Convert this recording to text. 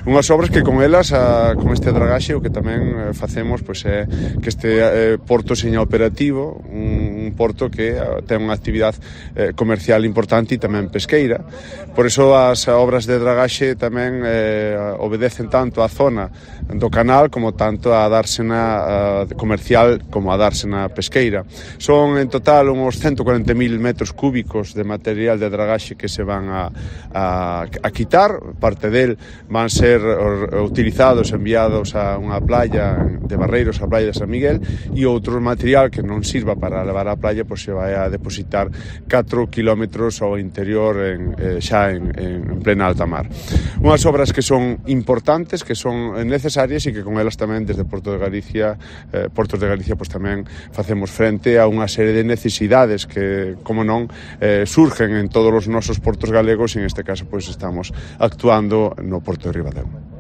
Unhas obras que con elas, con este dragaxe, o que tamén facemos pois é que este porto seña operativo, un porto que ten unha actividade comercial importante e tamén pesqueira. Por iso as obras de dragaxe tamén obedecen tanto á zona do canal como tanto á dársena comercial como á dársena pesqueira. Son en total uns 140.000 metros cúbicos de material de dragaxe que se van a quitar. Parte del van ser utilizados, enviados a unha playa de Barreiros, a playa de San Miguel, e outro material que non sirva para levar á playa pois se vai a depositar 4 kilómetros ao interior xa en plena alta mar. Unhas obras que son importantes, que son necesarias e que con elas tamén desde Portos de Galicia pois tamén facemos frente a unha serie de necesidades que, como non, surgen en todos os nosos portos galegos e en este caso pois estamos actuando no Porto de Ribadeo.